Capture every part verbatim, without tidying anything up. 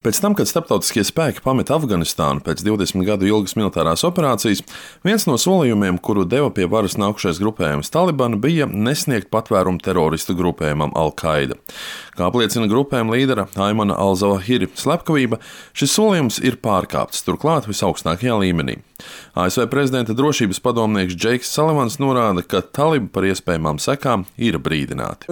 Pēc tam, kad starptautiskie spēki pameta Afganistānu pēc divdesmit gadu ilgas militārās operācijas, viens no solījumiem, kuru deva pie varas nākušais grupējums Taliban, bija nesniegt patvērumu teroristu grupējumam Al-Qaida. Kā apliecina grupējuma līdera Aimana Al-Zawahiri slepkavība, šis solījums ir pārkāpts, turklāt visaugstākajā līmenī. A S V prezidenta drošības padomnieks Džeiks Salivans norāda, ka talibi par iespējamām sekām ir brīdināti.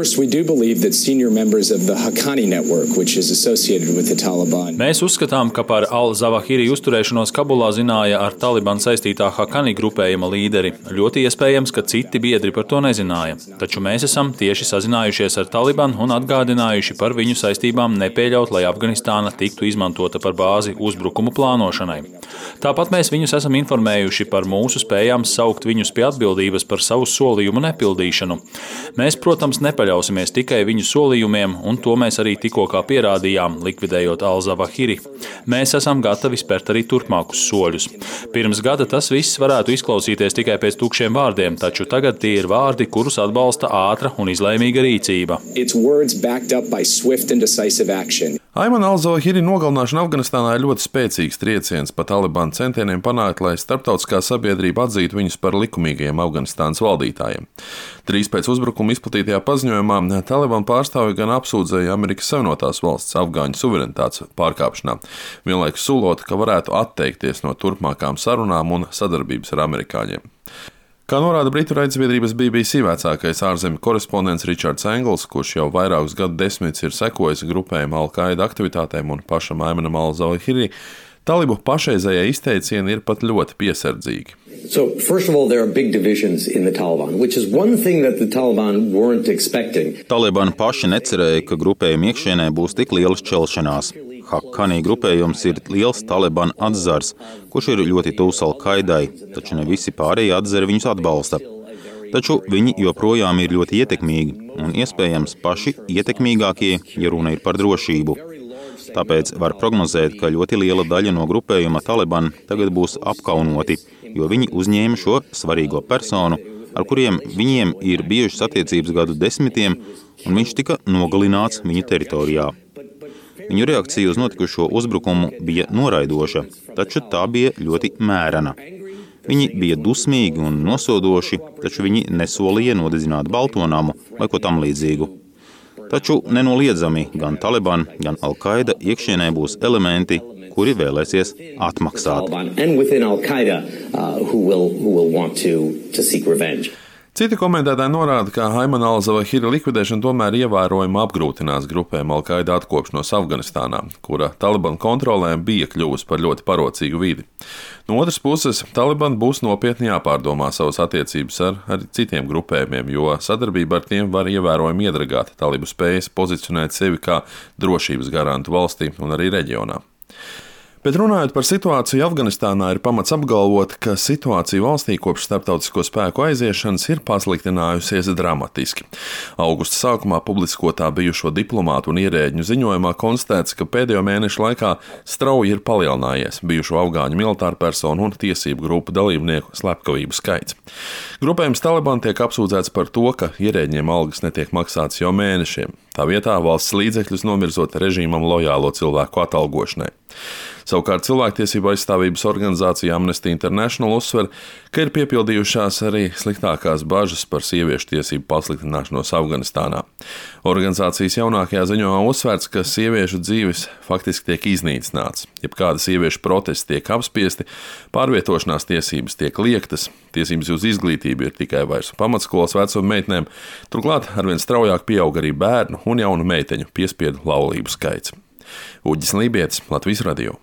Mēs uzskatām, ka par Al-Zawahiri uzturēšanos Kabulā zināja ar Taliban saistītā Haqqani grupējuma līderi. Ļoti iespējams, ka citi biedri par to nezināja. Taču mēs esam tieši sazinājušies ar Taliban un atgādinājuši par viņu saistībām nepieļaut, lai Afganistāna tiktu izmantota par bāzi uzbrukumu plānošanai. Tāpat mēs viņus esam informējuši par mūsu spējām saukt viņus pie atbildības par savu solījumu nepildīšanu. Mēs, protams, nepaļausimies tikai viņu solījumiem, un to mēs arī tikko kā pierādījām, likvidējot Al-Zawahiri. Mēs esam gatavi spērt arī turpmākus soļus. Pirms gada tas viss varētu izklausīties tikai pēc tukšiem vārdiem, taču tagad tie ir vārdi, kurus atbalsta ātra un izlēmīga rīcība. Aimana Al-Zawahiri nogalināšana Afganistānā ir ļoti spēcīgs trieciens pa Taliban centieniem panākt, lai starptautiskā sabiedrība atzītu viņus par likumīgajiem Afganistānas valdītājiem. Drīz pēc uzbrukuma izplatītajā paziņojumā Taliban pārstāvji gan apsūdzēja Amerikas Savienotās valsts afgāņu suverenitātes pārkāpšanā, vienlaikus solot, ka varētu atteikties no turpmākām sarunām un sadarbības ar amerikāņiem. Kā norāda britu raidsabiedrības B B C vecākais ārzemju korespondents Richards Engels, kurš jau vairākus gadu desmitus ir sekojis grupējuma Al-Qaida aktivitātēm un pašam Aimanam Al-Zawahiri, talibu pašreizējie izteicieni ir pat ļoti piesardzīgi. So, first of all, there are big divisions in the Taliban, which is one thing that the Taliban weren't expecting. Taliban paši necerēja, ka grupējuma iekšienē būs tik liela šķelšanās. Haqqani grupējums ir liels Taliban atzars, kurš ir ļoti tuvs Al-Qaidai, taču ne visi pārējie atzari viņus atbalsta. Taču viņi joprojām ir ļoti ietekmīgi un iespējams paši ietekmīgākie, ja runa ir par drošību. Tāpēc var prognozēt, ka ļoti liela daļa no grupējuma Taliban tagad būs apkaunoti, jo viņi uzņēma šo svarīgo personu, ar kuriem viņiem ir bijušas attiecības gadu desmitiem, un viņš tika nogalināts viņu teritorijā. Viņu reakcija uz notikušo uzbrukumu bija noraidoša, taču tā bija ļoti mērena. Viņi bija dusmīgi un nosodoši, taču viņi nesolīja nodedzināt Baltonamu vai ko tam līdzīgu. Taču nenoliedzami gan Taliban, gan Al-Qaida iekšienē būs elementi, kuri vēlēsies atmaksāt. Citi komentētāji norāda, ka Aimana Al-Zawahiri likvidēšana tomēr ievērojami apgrūtinās grupējuma Al-Qaida atkopšanos Afganistānā, kura Taliban kontrolē bija kļuvusi par ļoti parocīgu vidi. No otras puses, Taliban būs nopietni jāpārdomā savas attiecības ar, ar citiem grupējumiem, jo sadarbība ar tiem var ievērojami iedragāt talibu spējas pozicionēt sevi kā drošības garantu valstī un arī reģionā. Bet runājot par situāciju Afganistānā, ir pamats apgalvot, ka situācija valstī kopš starptautisko spēku aiziešanas ir pasliktinājusies dramatiski. Augusta sākumā publiskotā bijušo diplomātu un ierēģņu ziņojumā konstatēts, ka pēdējo mēnešu laikā strauji ir palielinājies bijušo afgāņu militāru personu un tiesību grupu dalībnieku slepkavību skaits. Grupējums Taliban tiek apsūdzēts par to, ka ierēģņiem algas netiek maksātas jau mēnešiem. Tā vietā valsts līdzekļus novirzot režīmam lojālo cilvēku atalgošanai. Savukārt cilvēktiesību aizstāvības organizācija Amnesty International uzsver, ka ir piepildījušās arī sliktākās bažas par sieviešu tiesību pasliktināšanos Afganistānā. Organizācijas jaunākajā ziņojumā uzsvērts, ka sieviešu dzīves faktiski tiek iznīcināts, jebkāda sieviešu protesti tiek apspiesti, pārvietošanās tiesības tiek liektas, tiesības uz izglītību ir tikai vairs pamatskolas vecuma meitnēm, turklāt arvien straujāk pieaug arī bērnu un jaunu meiteņu piespiedu laulību skaits. Uģis Lībietis, Latvijas radio.